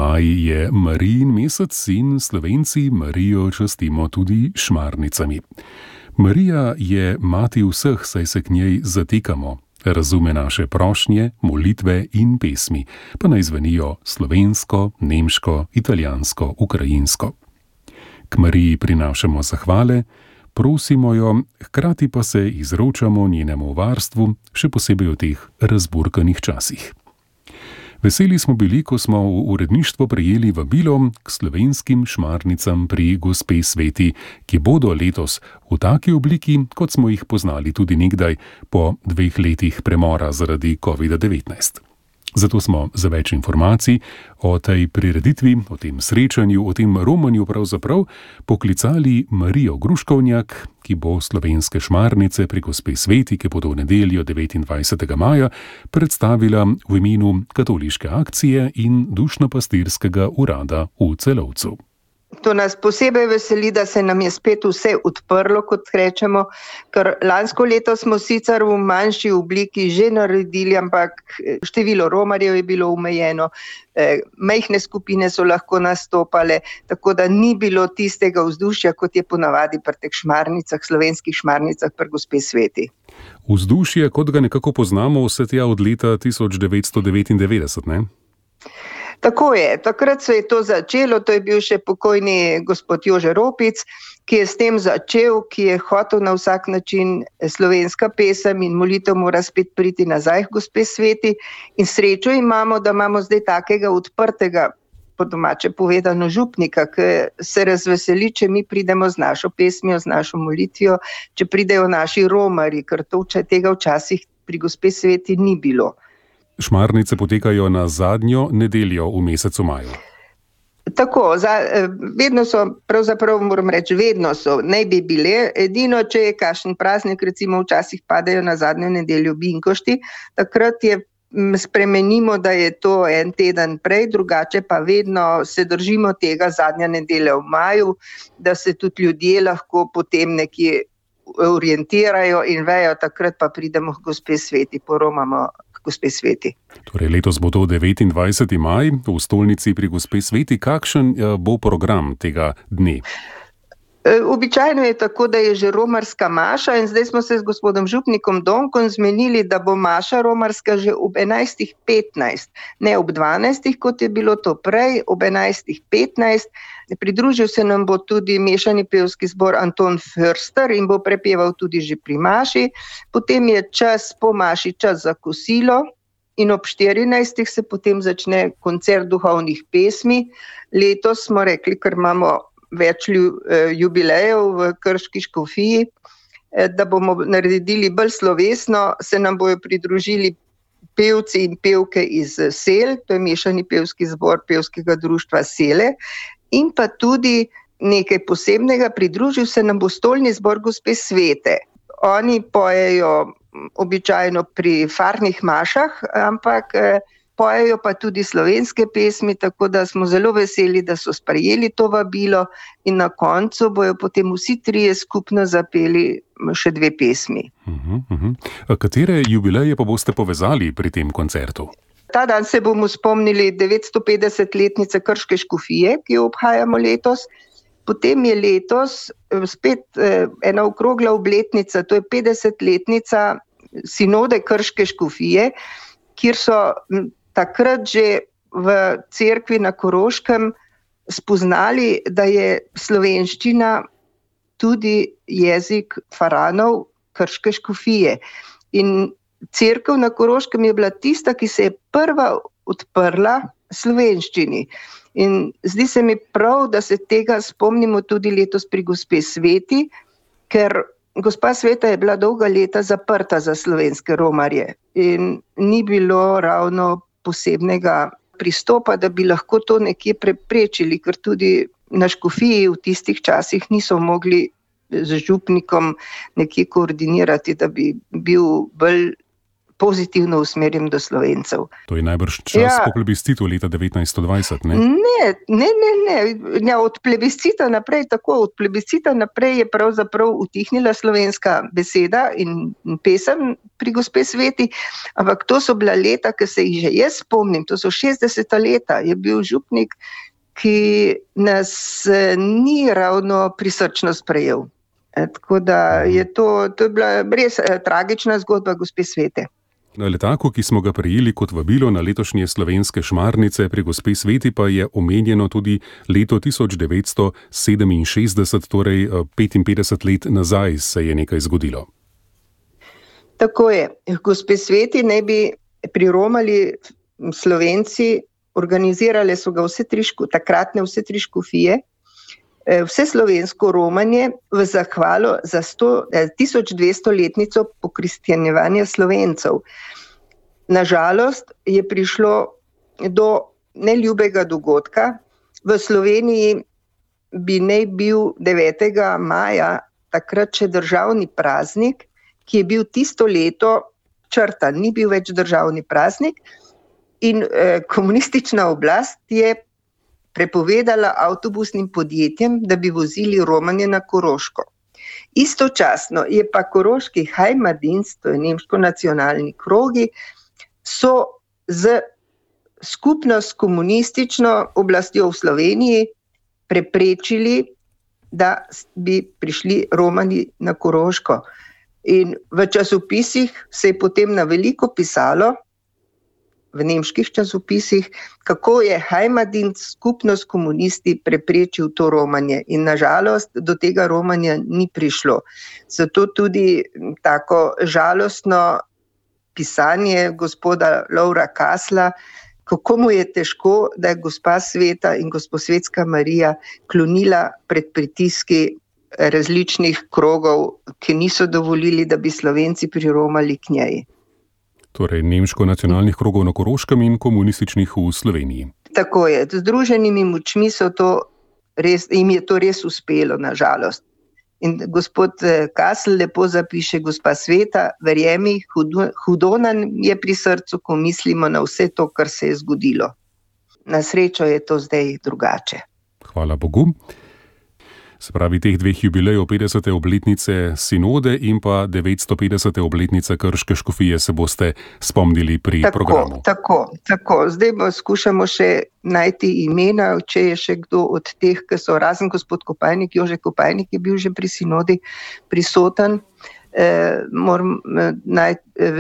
Maj je Marijin mesec in Slovenci Marijo častimo tudi šmarnicami. Marija je mati vseh, saj se k njej zatekamo. Razume naše prošnje, molitve in pesmi, pa naj zvenijo slovensko, nemško, italijansko, ukrajinsko. K Mariji prinašamo zahvale, prosimo jo, hkrati pa se izročamo njenemu varstvu, še posebej v teh razburkanih časih. Veseli smo bili, ko smo v uredništvo prejeli vabilo k slovenskim šmarnicam pri Gospe Sveti, ki bodo letos v taki obliki, kot smo jih poznali tudi nekdaj po 2 letih premora zaradi COVID-19. Zato smo za več informacij o tej prireditvi, o tem srečanju, o tem romanju pravzaprav poklicali Marijo Gruškovnjak, ki bo slovenske šmarnice pri Gospe Sveti, ki bodo v nedeljo 29. maja predstavila v imenu Katoliške akcije in Dušno-pastirskega urada v Celovcu. To nas posebej veseli, da se nam je spet vse odprlo, kot rečemo, ker lansko leto smo sicer v manjši obliki že naredili, ampak število romarjev je bilo omejeno, majhne skupine so lahko nastopale, tako da ni bilo tistega vzdušja, kot je ponavadi pri teh šmarnicah, slovenskih šmarnicah pri Gospe Sveti. Vzdušje, kot ga nekako poznamo vse tja od leta 1999, ne? Tako je, takrat se je to začelo, to je bil še pokojni gospod Jože Ropic, ki je s tem začel, ki je hotel na vsak način slovenska pesem in molitev mora spet priti nazaj k Gospe Sveti. In srečo imamo, da imamo zdaj takega odprtega, po domače povedano, župnika, ki se razveseli, če mi pridemo z našo pesmijo, z našo molitvijo, če pridejo naši romarji, ker tega včasih pri Gospe Sveti ni bilo. Šmarnice potekajo na zadnjo nedeljo v mesecu maju. Tako, vedno so, pravzaprav moram reči, vedno so, naj bi bile, edino, če je kakšen praznik, recimo včasih padajo na zadnjo nedeljo binkošti, takrat spremenimo, da je to en teden prej, drugače pa vedno se držimo tega zadnja nedelja v maju, da se tudi ljudje lahko potem nekje orientirajo in vejo, takrat pa pridemo k Gospe Sveti, poromamo Gospe Sveti. Torej letos bo to 29. maj v stolnici pri Gospe Sveti. Kakšen bo program tega dne? Običajno je tako, da je že romarska maša in zdaj smo se z gospodom župnikom Donkom zmenili, da bo maša romarska že ob 11.15, ne ob 12, kot je bilo to prej, ob 11.15. Pridružil se nam bo tudi mešani pevski zbor Anton Förster in bo prepeval tudi že pri maši. Potem je čas po maši, čas za kosilo in ob 14. se potem začne koncert duhovnih pesmi. Letos smo rekli, ker imamo več jubilejev v Krški škofiji, da bomo naredili bolj slovesno, se nam bojo pridružili pevci in pevke iz Sel, to je mešani pevski zbor pevskega društva Sele, in pa tudi nekaj posebnega, pridružil se nam bo stolni zbor Gospe Svete. Oni pojejo običajno pri farnih mašah, ampak pojejo pa tudi slovenske pesmi, tako da smo zelo veseli, da so sprejeli to vabilo in na koncu bojo potem vsi trije skupno zapeli še 2 pesmi. Katere jubileje pa boste povezali pri tem koncertu? Ta dan se bomo spomnili 950-letnice Krške škofije, ki jo obhajamo letos. Potem je letos spet ena okrogla obletnica, to je 50-letnica sinode Krške škofije, kjer so takrat že v cerkvi na Koroškem spoznali, da je slovenščina tudi jezik faranov Krške škofije. In cerkev na Koroškem je bila tista, ki se je prva odprla slovenščini. In zdi se mi prav, da se tega spomnimo tudi letos pri Gospe Sveti, ker Gospa Sveta je bila dolga leta zaprta za slovenske romarje in ni bilo ravno posebnega pristopa, da bi lahko to nekje preprečili, ker tudi na škofiji v tistih časih niso mogli z župnikom nekje koordinirati, da bi bil bolj pozitivno usmerjen do Slovencev. To je najbrž čas po plebiscitu leta 1920, ne? Ne, od plebiscita naprej tako. Od plebiscita naprej je pravzaprav utihnila slovenska beseda in pesem pri gospe Sveti, ampak to so bila leta, ki se jih že jaz spomnim, to so 60. leta, je bil župnik, ki nas ni ravno prisrčno sprejel. Tako da je to je bila res tragična zgodba gospe Svete. Na letaku, ki smo ga prejeli kot vabilo na letošnje slovenske šmarnice pri gospe Sveti, pa je omenjeno tudi leto 1967, torej 55 let nazaj se je nekaj zgodilo. Tako je. Gospe Sveti naj bi priromali Slovenci, organizirale so ga takratne vse tri škofije, vse slovensko romanje v zahvalo za 1200-letnico pokristjanjevanja Slovencev. Nažalost je prišlo do neljubega dogodka. V Sloveniji bi naj bil 9. maja takrat še državni praznik, ki je bil tisto leto črtan, ni bil več državni praznik in komunistična oblast je prepovedala avtobusnim podjetjem, da bi vozili romanje na Koroško. Istočasno je pa koroški Heimatdienst, to je nemško nacionalni krogi, so skupno s komunistično oblastjo v Sloveniji preprečili, da bi prišli romani na Koroško. In v časopisih se je potem na veliko pisalo, v nemških časopisih, kako je Heimatdienst skupno s komunisti preprečil to romanje. In nažalost do tega romanja ni prišlo. Zato tudi tako žalostno pisanje gospoda Lovra Kasla, kako mu je težko, da je gospa Sveta in Gosposvetska Marija klonila pred pritiski različnih krogov, ki niso dovolili, da bi Slovenci priromali k njej. Torej nemško-nacionalnih krogov na Koroškem in komunističnih v Sloveniji. Tako je. Z združenimi močmi jim je to res uspelo, nažalost. In gospod Kasl lepo zapiše, gospa Sveta, verjemi, hudo nam je pri srcu, ko mislimo na vse to, kar se je zgodilo. Na srečo je to zdaj drugače. Hvala Bogu. Se pravi, teh dveh jubilejev, 50. obletnice sinode in pa 950. obletnice Krške škofije se boste spomnili pri programu. Tako. Zdaj skušamo še najti imena, če je še kdo od teh, ki so razen gospod Kopajnik, Jože Kopajnik je bil že pri sinodi prisoten.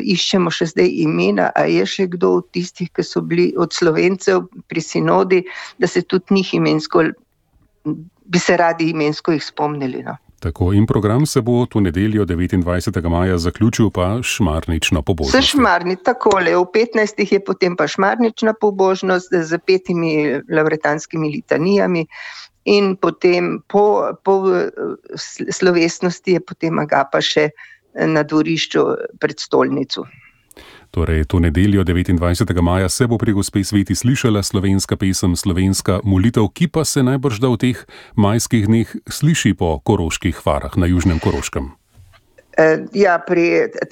Iščemo še zdaj imena, a je še kdo od tistih, ki so bili od Slovencev pri sinodi, da se tudi njih bi se radi imensko jih spomnili. No. Tako, in program se bo to nedeljo 29. maja zaključil pa šmarnično pobožnost. Takole, v 15. je potem pa šmarnična pobožnost z 5 lavretanskimi litanijami in potem po slovesnosti je potem agapa še na dvorišču pred stolnico. Torej, to nedeljo 29. maja se bo pri gospe Sveti slišala slovenska pesem, slovenska molitev, ki pa se najbrž da v teh majskih dneh sliši po koroških farah na Južnem Koroškem.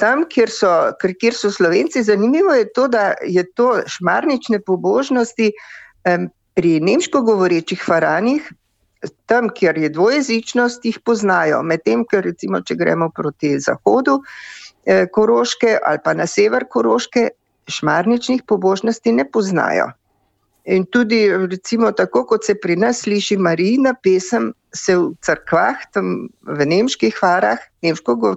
Tam, kjer so Slovenci, zanimivo je to, da je to šmarnične pobožnosti pri nemško govorečih faranih, tam, kjer je dvojezičnost, jih poznajo. Medtem, ker recimo, če gremo proti zahodu Koroške ali pa na sever Koroške, šmarničnih pobožnosti ne poznajo. In tudi recimo tako, kot se pri nas sliši Marijina pesem, se v cerkvah, tam v nemških farah,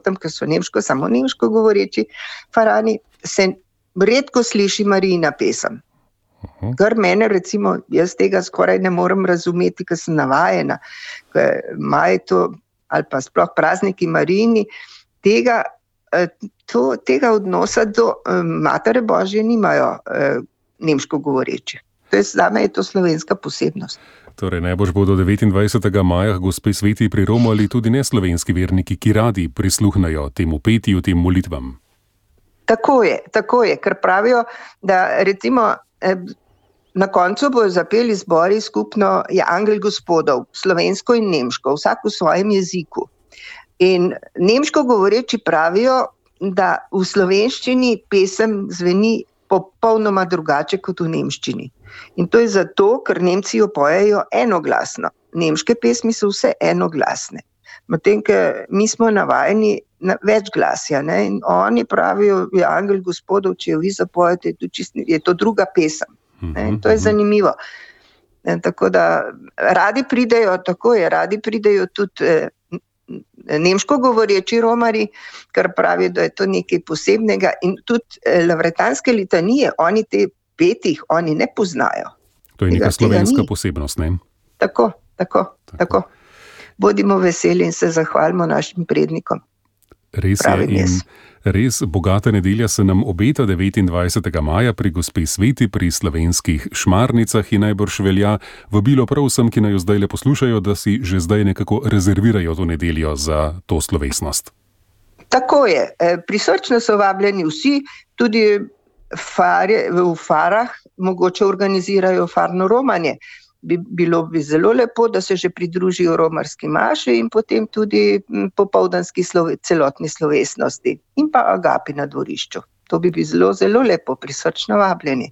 tam, ker so samo nemško govoreči farani, se redko sliši Marijina pesem. Kar mene recimo, jaz tega skoraj ne morem razumeti, ker sem navajena, ali pa sploh prazniki Marijini, tega odnosa do Matere Božje nimajo nemško govoreči. Zame je to slovenska posebnost. Torej, najbrž bodo 29. maja gospe Sveti priromali tudi neslovenski verniki, ki radi prisluhnajo temu petju, tem molitvam. Tako je, ker pravijo, da recimo na koncu bojo zapeli zbori skupno je Angel Gospodov, slovensko in nemško, vsak v svojem jeziku. In nemško govoreči pravijo, da v slovenščini pesem zveni popolnoma drugače kot v nemščini. In to je zato, ker Nemci jo pojejo enoglasno. Nemške pesmi so vse enoglasne. Medtem, ker mi smo navajeni na večglasja, ne? In oni pravijo, je angel gospodov, če jo vi zapojete, je to druga pesem. Ne? In to je zanimivo. Tako da radi pridejo tudi nemško govoreči romarji, kar pravijo, da je to nekaj posebnega, in tudi lavretanske litanije, oni te petih, oni ne poznajo. To je neka slovenska posebnost, ne? Tako. Bodimo veseli in se zahvalimo našim prednikom. Res je, in res bogata nedelja se nam obeta 29. maja pri gospe Sveti pri slovenskih Šmarnicah in najbrž velja vabilo prav vsem, ki naj jo zdaj le poslušajo, da si že zdaj nekako rezervirajo to nedeljo za to slovesnost. Tako je. Prisrčno so vabljeni vsi, tudi v farah mogoče organizirajo farno romanje. Bilo bi zelo lepo, da se že pridružijo romarski maši in potem tudi popoldanski celotni slovesnosti in pa agapi na dvorišču. To bi bilo zelo lepo, prisrčno vabljeni.